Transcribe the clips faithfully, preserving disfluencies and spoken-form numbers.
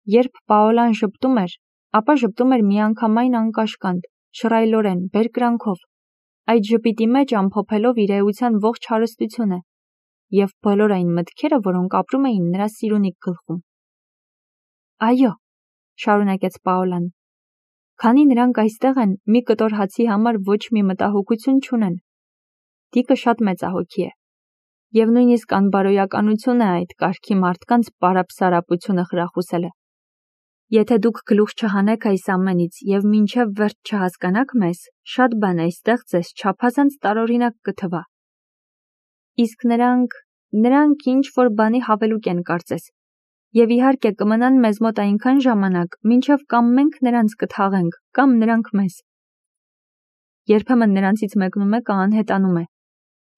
Երբ Պաոլան ժպտում էր, ապա ժպտում էր միանգամայն անկաշկանդ, շռայլորեն, բերկրանքով, այդ ժպիտի մեջ ամփոփելով իր էության ողջ հարստությունը և բոլոր այն մտքերը, որոնք ապրում էին նրա սիրունիկ գլխում։ Այո, շարունակեց Պաոլան, քանի նրանք այստեղ են, մի կտոր հացի համար ոչ մի մտահոգություն չունեն։ Տիկը շատ մեծահոգի է, և նույնիսկ անբարոյականություն է այդ կարգի մարդկանց պարապսարապությունը խրախուսելը։ Եթե դուք գլուխ չհանեք այս ամենից և մինչև վերջ չհասկանաք մեզ, շատ բան այստեղ ձեզ չափազանց տարօրինակ կթվա։ Իսկ նրանք, նրանք ինչ-որ բանի հավելուկ են կարծես, և իհարկե կմնան մեզ մոտ այնքան ժամանակ, մինչև կամ մենք նրանց կթաղենք, կամ նրանք մեզ։ Երբեմն նրանցից մեկն ու մեկը անհետանում է,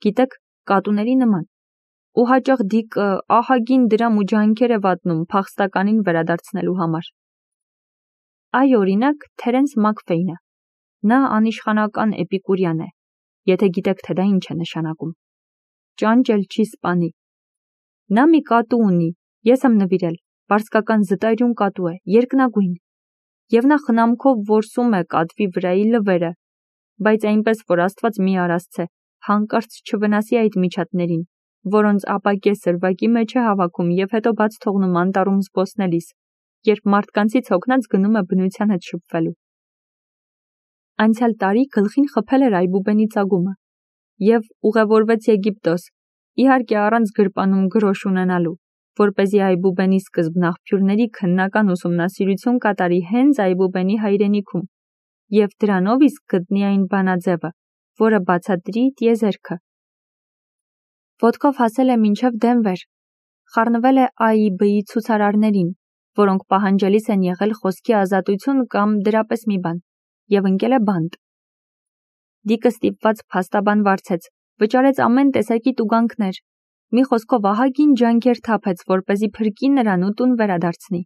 գիտեք, կատուների նման, ու հաճախ Դիկը ահագին դրամ ու ջանքեր է վատնում փախստականին վերադարձնելու համար։ Այ օրինակ Թերենս Մաքֆեյնը, նա անիշխանական էպիկուրյան է, եթե գիտեք, թե դա ինչ է նշանակում։ Ճանճել չի սպանի։ Նա մի կատու ունի, ես եմ նվիրել, պարսկական զտայրուն կատու է, երկնագույն, և նա խնամքով որսում է կատվի վրայի լվերը, բայց այնպես, որ Աստված մի արասցե, հանկարծ չվնասի այդ միջատներին, որոնց ապակե սրվակի մեջ է հավաքում և հետո բաց թողնում անտառում զբոսնելիս, երբ մարդկանցից հոգնած գնում է բնության հետ շփվելու։ Անցյալ տարի գլխին խփել էր այբուբենի ծագումը և ուղևորվեց Եգիպտոս, իհարկե առանց գրպանում գրոշ ունենալու, որպեսզի այբուբենի սկզբնաղբյուրների քննական ուսումնասիրություն կատարի հենց այբուբենի հայրենիքում և դրանով իսկ գտնի այն բանաձևը, որը բացատրի տիեզերքը։ Ոտքով հասել է մինչև Դենվեր, խառնվել է Ա I B-ի ցուցարարներին, որոնք պահանջելիս են եղել խոսքի ազատություն կամ դրապես մի բան, և ընկել է բանտ։ Դիկը ստիպված փաստաբան վարձեց, վճարեց ամեն տեսակի տուգանքներ, մի խոսքով ահագին ջանքեր թափեց, որպեսզի փրկի նրան ու տուն վերադարձնի։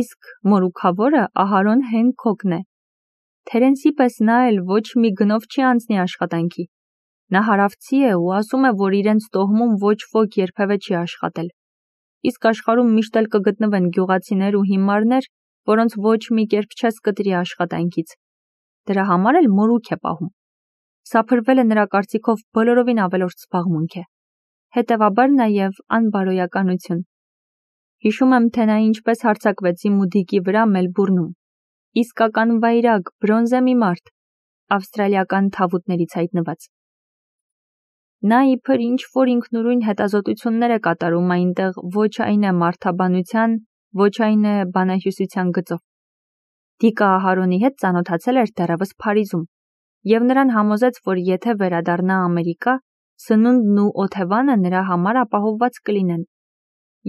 Իսկ մորուքավորը Ահարոն Հենքոքն է։ Թերենսի պես նա էլ ոչ մի գնով չի անցնի աշխատանքի։ Նա հարավցի է ու ասում է, որ իրենց տոհմում ոչ ոք երբևէ չի աշխատել։ Իսկ աշխարհում միշտ էլ կգտնվեն գյուղացիներ ու հիմարներ, որոնց ոչ մի կերպ չես կտրի աշխատանքից։ Դրա համար էլ մորուք է պահում։ Սափրվելը նրա կարծիքով բոլորովին ավելորդ զբաղմունք է։ Հետևաբար նաև անբարոյականություն։ Հիշում եմ, թե նա ինչպես հարձակվեց իմ ու Դիկի վրա Մելբուրնում։ Իսկական վայրագ, բրոնզե մի մարդ, ավստրալիական թավուտներից հայտնված։ Նա իբր ինչ-որ ինքնուրույն հետազոտություններ է կատարում այնտեղ, ոչ այն է մարդաբանության, ոչ այն է բանահյուսության գծով։ Դիկը Ահարոնի հետ ծանոթացել էր դեռևս Փարիզում, և նրան համոզեց, որ եթե վերադառնա Ամերիկա, սնունդն ու օթևանը նրա համար ապահովված կլինեն։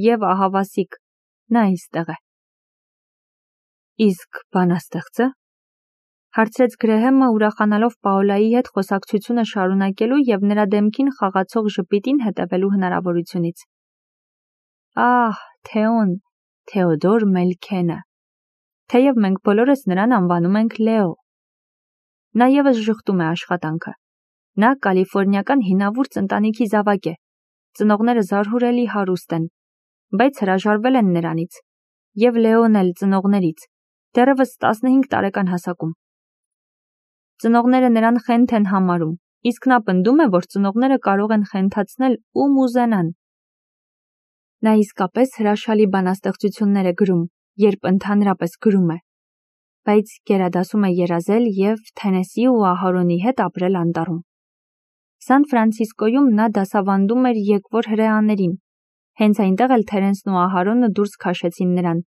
Եվ ահավասիկ, նա այստեղ է։ Իսկ բանաստեղծը, հարցրեց Գրեհեմը, ուրախանալով Պաոլայի հետ խոսակցությունը շարունակելու և նրա դեմքին խաղացող ժպիտին հետևելու հնարավորությունից։ Ահ, Թեոն, Թեոդոր Մելքենը, թեև մենք բոլորս նրան անվանում ենք Լեո։ Նա ևս ժխտում է աշխատանքը։ Նա կալիֆորնիական հինավուրց ընտանիքի զավակ է, ծնողները զարհուրելի հարուստ են, բայց հրաժարվել են նրանից, և Լեոն էլ ծնողներից, դեռևս տասնհինգ տարեկան հասակում։ Ծնողները նրան խենթ են համարում, իսկ նա պնդում է, որ ծնողները կարող են խենթացնել ում ուզենան։ Նա իսկապես հրաշալի բանաստեղծություններ է գրում, երբ ընդհանրապես գրում է, բայց գերադասում է երազել և Թենեսի ու Ահարոնի հետ ապրել անտառում։ Սան Ֆրանցիսկոյում նա դասավանդում էր եկվոր հրեաներին, հենց այնտեղ էլ Թերենսն ու Ահարոնը դուրս քաշեցին նրան,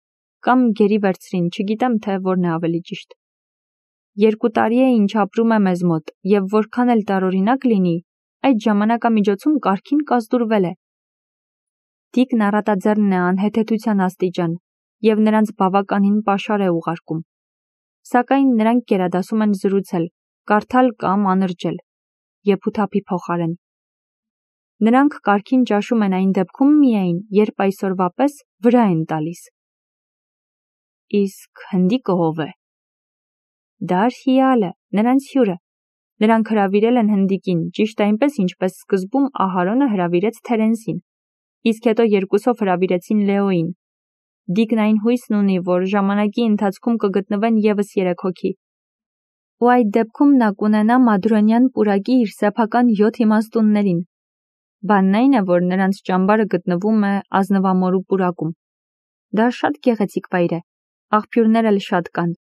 կամ գերի վերցրին, չգիտեմ, թե որն է ավելի ճիշտ։ Երկու տարի է ինչ ապրում է մեզ մոտ, և որքան էլ տարօրինակ լինի, այդ ժամանակամիջոցում կարգին կազդուրվել է։ Դիկն առատաձեռն է անհեթեթության աստիճան, և նրանց բավականին պաշար է ուղարկում։ Սակայն նրանք գերադասում են զրուցել, կարդալ կամ անրջել, եփութափի փոխարեն։ Նրանք կարգին ճաշում են այն դեպքում միայն, երբ այսօրվա պես վրա են տալիս։ Իսկ հնդիկը ով է։ Դա Արհիալը, նրանց հյուրը։ Նրանք հրավիրել են հնդիկին, ճիշտ այնպես, ինչպես սկզբում Ահարոնը հրավիրեց Թերենսին, իսկ հետո երկուսով հրավիրեցին Լեոին։ Դիկն այն հույսն ունի, որ ժամանակի ընթացքում կգտնվեն ևս երեք հոգի։ Ու այդ դեպքում նա կունենա մադրոնյան պուրակի իր սեփական յոթ իմաստուններին։ Բանն այն է, որ նրանց ճամբարը գտնվում է ազնվամորու պուրակում։ Դա շատ գեղեցիկ վայր է, աղբյուրներ էլ շատ կան։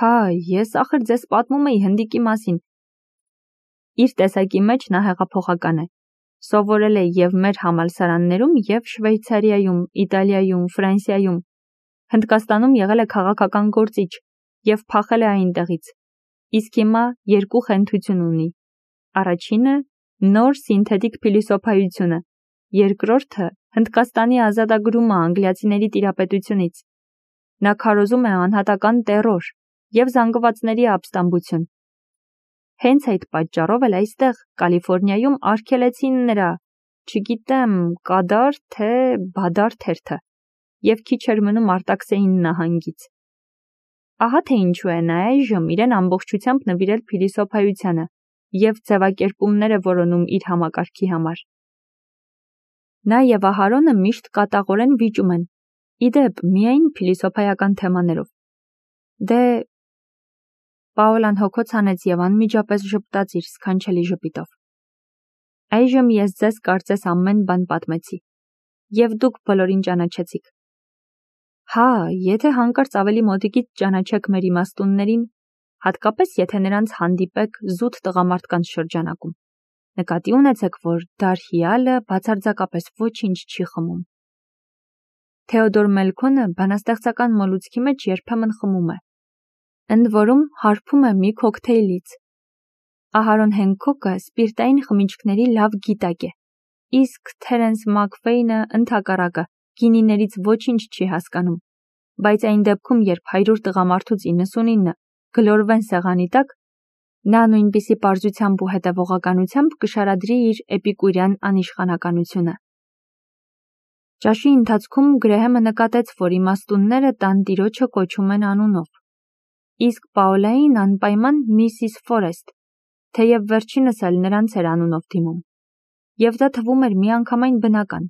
Հա, ես ախր ձեզ պատմում էի հնդիկի մասին։ Իր տեսակի մեջ նա հեղափոխական է։ Սովորել է և մեր համալսարաններում, և Շվեյցարիայում, Իտալիայում, Ֆրանսիայում։ Հնդկաստանում եղել է քաղաքական գործիչ և փախել է այնտեղից։ Իսկ հիմա երկու խենթություն ունի։ Առաջինը նոր սինթետիկ փիլիսոփայությունը, երկրորդը Հնդկաստանի ազատագրումը անգլիացիների տիրապետությունից։ Նա քարոզում է անհատական տերոր և զանգվածների ապստամբություն։ Հենց այդ պատճառով էլ այստեղ, Կալիֆորնիայում արգելեցին նրա, չգիտեմ, կադար, թե բադար թերթը, և քիչ էր մնում արտաքսեին նահանգից։ Ահա թե ինչու է նա այժմ իրեն ամբողջությամբ նվիրել փիլիսոփայությանը և ձևակերպումներ է որոնում իր համակարգի համար։ Նա և Ահարոնը միշտ կատաղորեն վիճում են, ի դեպ, միայն փիլիսոփայական թեմաներով։ Դե… Պաոլան հոգոց հանեց և անմիջապես ժպտաց իր սքանչելի ժպիտով։ Այժմ ես ձեզ կարծես ամեն բան պատմեցի, և դուք բոլորին ճանաչեցիք։ Հա, եթե հանկարծ ավելի մոտիկից ճանաչեք մեր իմաստուններին, հատկապես եթե նրանց հանդիպեք զուտ տղամարդկանց շրջանակում, նկատի ունեցեք, որ Դարհիալը բացարձակապես ոչինչ չի խմում։ Թեոդոր Մելքոնը բանաստեղծական մոլուցքի մեջ երբեմն խմում է, ընդ որում հարբում է մի քոքթեյլից։ Ահարոն Հենքոկը սպիրտային խմիչքների լավ գիտակ է, իսկ Թերենս Մաքվեյնը ընդհակառակը գինիներից ոչինչ չի հասկանում, բայց այն դեպքում, երբ հարյուր տղամարդուց իննսունինը գլորվեն սեղանի տակ, նա նույնպիսի պարզությամբ ու հետևողականությամբ կշարադրի իր էպիկուրյան անիշխանականությունը։ Ճաշի ընթացքում Գրեհեմը նկատեց, որ իմաստունները տանտիրոջը կոչում են անունով, իսկ Պաոլային անպայման Միսիս Ֆորեստ, թեև վերջինս էլ նրանց էր անունով դիմում, և դա թվում էր միանգամայն բնական։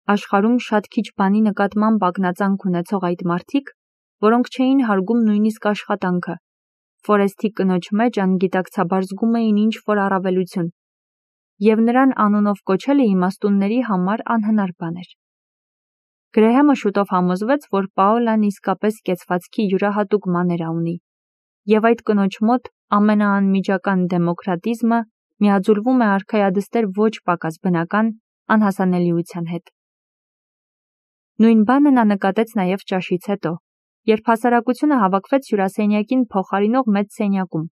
Աշխարհում շատ քիչ բանի նկատմամբ ակնածանք ունեցող այդ մարդիկ, որոնք չէին հարգում նույնիսկ աշխատանքը, Ֆորեսթի կնոջ մեջ անգիտակցաբար զգում էին ինչ-որ առավելություն, և նրան անունով կոչելը իմաստունների համար անհնար բան էր։ Գրեհեմը շուտով համոզվեց, որ Պաոլան իսկապես կեցվածքի յուրահատուկ մաներա ունի, և այդ կնոջ մոտ ամենաանմիջական դեմոկրատիզմը միաձուլվում է արքայադստեր ոչ պակաս բնական անհասանելիության հետ։ Նույն բանը նա նկատեց նաև ճաշից հետո, երբ հասարակությունը հավաքվեց հյուրասենյակին փոխարինող մեծ սենյակում։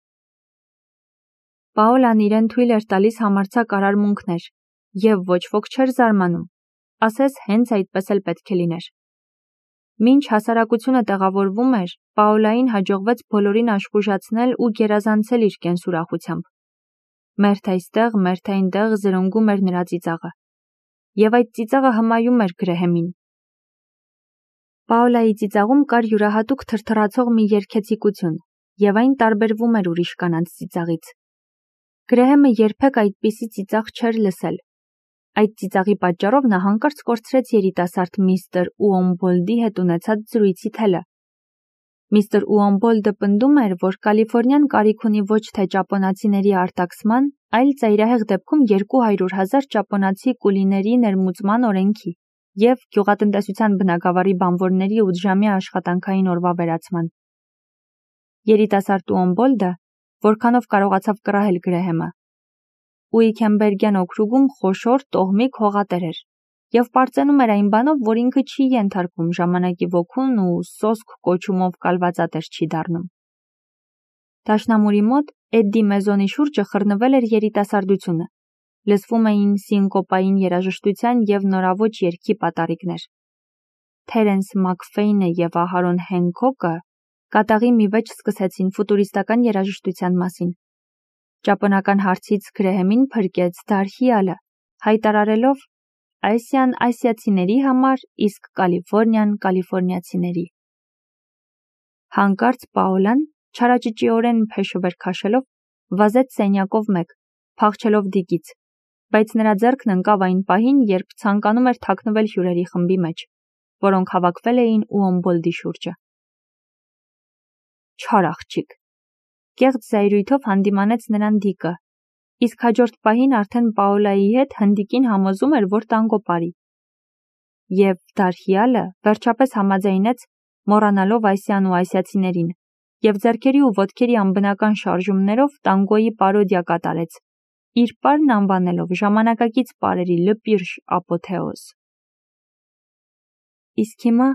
Պաոլան իրեն թույլ էր տալիս համարձակ արարմունքներ, և ոչ ոք չէր զարմանում, ասես հենց այդպես էլ պետք է լիներ։ Մինչ հասարակությունը տեղավորվում էր, Պաոլային հաջողվեց բոլորին աշխուժացնել ու գերազանցել իր կենսուրախությամբ։ Մերթ այստեղ, մերթ այնտեղ զրնգում էր նրա ծիծաղը, և այդ ծիծաղը հմայում էր Գրեհեմին։ Պաոլայի ծիծաղում կար յուրահատուկ թրթռացող մի երգեցիկություն, և այն տարբերվում էր ուրիշ կանանց ծիծաղից։ Գրեհեմը երբեք այդպիսի ծիծաղ չէր լսել։ Այդ ծիծաղի պատճառով նա հանկարծ կորցրեց երիտասարդ միստր Ուոմբոլդի հետ ունեցած զրույցի թելը։ Միստր Ուոմբոլդը պնդում էր, որ Կալիֆորնիան կարիք ունի ոչ թե ճապոնացիների արտաքսման, այլ ծայրահեղ դեպքում երկու հարյուր հազար ճապոնացի կուլիների ներմուծման օրենքի և գյուղատնտեսության բնագավառի բանվորների ութժամյա աշխատանքային օրվա վերացման։ Երիտասարդ Ուոմբոլդը, որքանով կարողացավ կռահել Գրեհեմը, Ուիքենբերգյան օքրուգում խոշոր տոհմիկ հողատեր էր և պարծենում էր այն բանով, որ ինքը չի ենթարկվում ժամանակի ոգուն ու սոսկ կոչումով կալվածատեր չի դառնում։ Դաշնամուրի մոտ Էդդի Մեզոնի շուրջը խռնվել էր երիտասարդությունը, լսվում էին սինկոպային երաժշտության և նորաոճ երգի պատառիկներ։ Թերենս Մաքֆեյնը և Ահարոն Հենքոկը կատաղի մի վեճ սկսեցին ֆուտուրիստական երաժշտության մասին։ Ճապոնական հարցից Գրեհեմին փրկեց Դարհիալը, հայտարարելով Ասիան ասիացիների համար, իսկ Կալիֆորնիան կալիֆորնիացիների։ Հանկարծ Պաոլան, չարաճճիորեն փեշը վեր քաշելով, վազեց սենյակով մեկ, փախչելով Դիկից, բայց նրա ձեռքն ընկավ այն պահին, երբ ցանկանում էր թաքնվել հյուրերի խմբի մեջ։ որոնք հավաքվել էին Ուոմբոլդի շուրջը։ Չար աղջիկ։ Կեղծ զայրույթով հանդիմանեց նրան Դիկը, իսկ հաջորդ պահին արդեն Պաոլայի հետ հնդիկին համոզում էր, որ տանգո πάρի։ Եվ Դարհիալը վերջապես համաձայնեց, մոռանալով այսյան ու այսյացիներին, և ձեռքերի ու ոտքերի անբնական շարժումներով տանգոյի պարոդիա կատարեց, իր պարն անվանելով ժամանակակից պարերի լպիրշ ապոթեոզ։ Իսկ հիմա,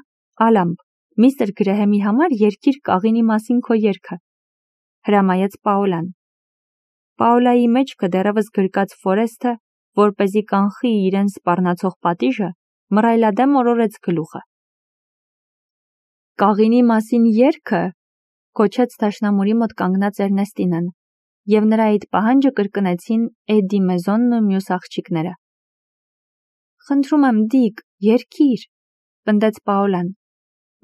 Ալամբ, միստր Գրեհեմի համար երգիր կաղինի մասին քո երգը, հրամայեց Պաոլան։ Պաոլայի մեջքը դեռևս գրկած Ֆորեսթը, որպեսզի կանխի իրեն սպառնացող պատիժը, մռայլադեմ օրորեց գլուխը։ Կաղինի մասին երգը, կոչեց դաշնամուրի մոտ կանգնած Էրնեստինան, և նրա այդ պահանջը կրկնեցին Էդի Մեզոնն ու մյուս աղջիկները։ Խնդրում եմ, Դիկ, երգիր, պնդեց Պաոլան։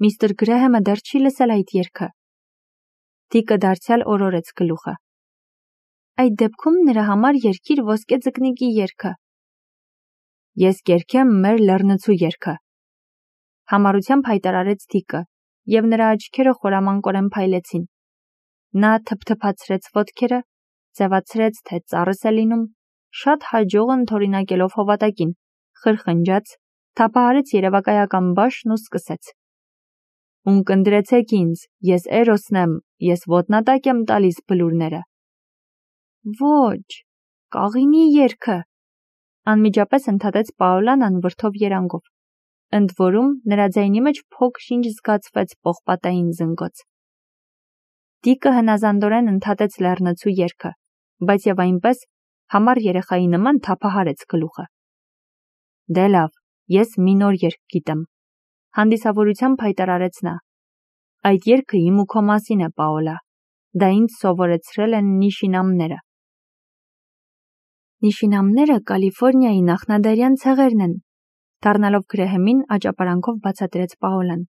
Միստր Գրեհեմը դեռ չի լսել այդ երգը։ Դիկը դարձյալ օրորեց գլուխը։ Այդ դեպքում նրա համար երգիր ոսկե ձկնիկի երգը։ Ես կերգեմ մեր լեռնցու երգը, համառությամբ հայտարարեց Դիկը, և նրա աչքերը խորամանկորեն փայլեցին։ Նա թփթփացրեց ոտքերը, ձևացրեց, թե ծառս է լինում, շատ հաջող ընդօրինակելով հովատակին, խրխնջաց, թափահարեց երևակայական բաշն ու սկսեց. Ունկնդրեցեք ինձ, ես Էրոսն եմ, ես ոտնատակ եմ տալիս բլուրները։ Ոչ, կաղինի երգը, անմիջապես ընդհատեց Պաոլան անվրդով երանգով, ընդ որում նրա ձայնի մեջ փոքր-ինչ զգացվեց պողպատային զնգոց։ Դիկը հնազանդորեն ընդհատեց լեռնցու երգը, բայց և այնպես համառ երեխայի նման թափահարեց գլուխը։ Դե լավ, ես մի նոր երգ գիտեմ, հանդիսավորությամբ հայտարարեց նա։ Այդ երգը իմ ու քո մասին է, Պաոլա, դա ինձ սովորեցրել են նիշինամները։ Նիշինամները Կալիֆորնիայի նախնադարյան ցեղերն են, դառնալով Գրեհեմին աճապարանքով բացատրեց Պաոլան։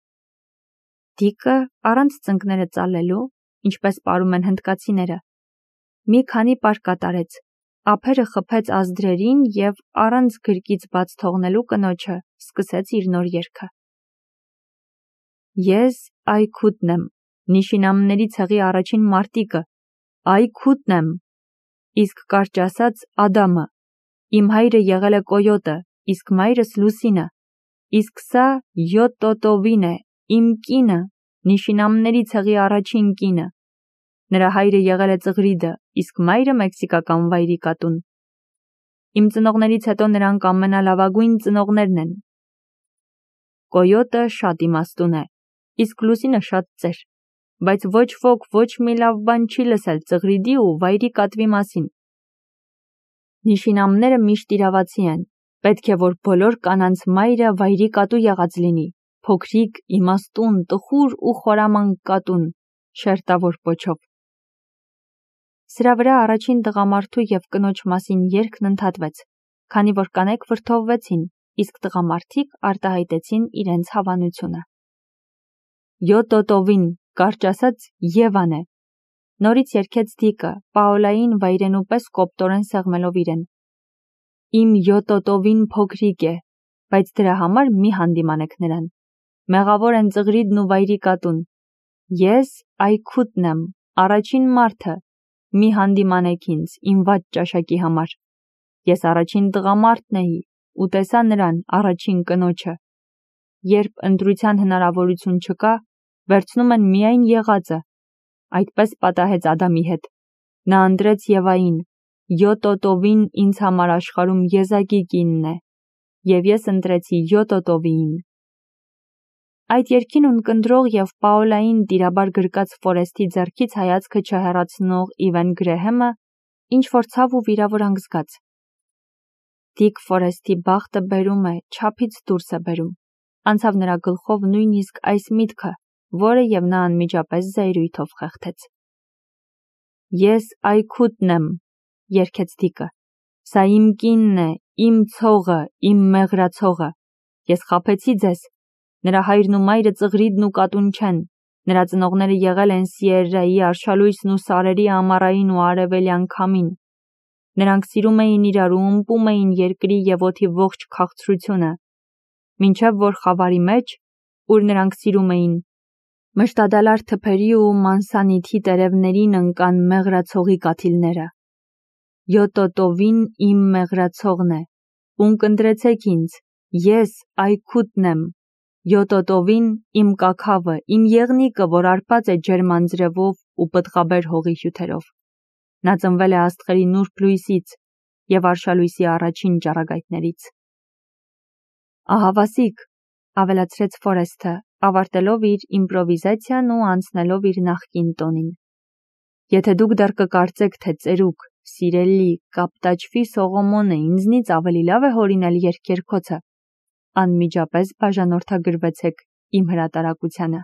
Դիկը առանց ծնկները ծալելու, ինչպես պարում են հնդկացիները, մի քանի պար կատարեց, ափերը խփեց ազդրերին և առանց գրկից բաց թողնելու կնոջը սկսեց իր նոր երգը։ Ես Այքութն եմ, նիշինամների ցեղի առաջին մարտիկը, Այքութն եմ, իսկ կարճ ասած Ադամը, իմ հայրը եղել է Կոյոտը, իսկ մայրս Լուսինը, իսկ սա Յոտոտովին է, իմ կինը, նիշինամների ցեղի առաջին կինը, նրա հայրը եղել է Ծղրիդը, իսկ մայրը մեքսիկական վայրի կատուն։ Իմ ծնողներից հետո նրանք ամենալավագույն ծնողներն են։ Կոյոտը շատ իմաստուն է, իսկ Լուսինը շատ ծեր, բայց ոչ ոք ոչ մի լավ բան չի լսել Ծղրիդի ու վայրի կատվի մասին։ Նիշինամները միշտ իրավացի են, պետք է որ բոլոր կանանց մայրը վայրի կատու եղած լինի, փոքրիկ, իմաստուն, տխուր ու խորամանկ կատուն, շերտավոր պոչով։ Սրա վրա առաջին տղամարդու և կնոջ մասին երգն ընդհատվեց, քանի որ կանայք վրդովվեցին, իսկ տղամարդիկ արտահայտեցին իրենց հավանությունը։ Յոտոտովին, կարճ ասած Եվան է, նորից երգեց Դիկը, Պաոլային վայրենու պես կոպտորեն սեղմելով իրեն։ Իմ Յոտոտովին փոքրիկ է, բայց դրա համար մի հանդիմանեք նրան։ Մեղավոր են Ծղրիդն ու վայրի կատուն։ Ես Այքութն եմ, առաջին մարդը, մի հանդիմանեք ինձ, իմ վատ ճաշակի համար։ Ես առաջին տղամարդն էի ու տեսա նրան, առաջին կնոջը։ Երբ ընտրության հնարավորություն չկա, վերցնում են միայն եղածը։ Այդպես պատահեց Ադամի հետ։ Նա ընտրեց Եվային, Յոտոտովին ինձ համար աշխարհում եզակի կինն է, և ես ընտրեցի Յոտոտովիին։ Այդ երգին ունկնդրող և Պաոլային տիրաբար գրկած Ֆորեսթի ձեռքից հայացքը չհեռացնող Իվեն Գրեհեմը ինչ-որ ցավ ու վիրավորանք զգաց։ Դիկ Ֆորեսթի բախտը բերում է, չափից դուրս է բերում, անցավ նրա գլխով նույնիսկ այս միտքը, որը և նա անմիջապես զայրույթով խեղդեց։ Ես Այքութն եմ, երգեց Դիկը, սա իմ կինն է, իմ ցողը, իմ մեղրացողը, ես խաբեցի ձեզ, նրա հայրն ու մայրը Ծղրիդն ու կատուն չեն, նրա ծնողները եղել են Սիերրայի արշալույսն ու սարերի ամառային ու արևելյան քամին, նրանք սիրում էին իրար ու ըմպում էին երկրի և օդի ողջ քաղցրությունը, մինչև որ խավարի մեջ ուր նրանք սիրում էին մշտադալար թփերի ու մանսանիթի տերևներին ընկան մեղրացողի կաթիլները։ Յոտոտովին իմ մեղրացողն է, ունկնդրեցեք ինձ, ես այքուտն եմ, յոտոտովին իմ կաքավը, իմ եղնիկը, որ արպած է ջերմ անձրևով ու պտղաբեր հողի հյութերով։ Նա ծնվել է աստղերի նուրբ լույսից և արշալույսի առաջին ճառագայթներից։ Ահավասիկ, ավելացրեց Ֆորեսթը, ավարտելով իր իմպրովիզացիան ու անցնելով իր նախկին տոնին։ Եթե դուք դեռ կկարծեք, թե ծերուկ, սիրելի, կապտաճվի Սողոմոնը ինձնից ավելի լավ է հորինել երգերգոցը, անմիջապես բաժանորդագրվեցեք իմ հրատարակությանը։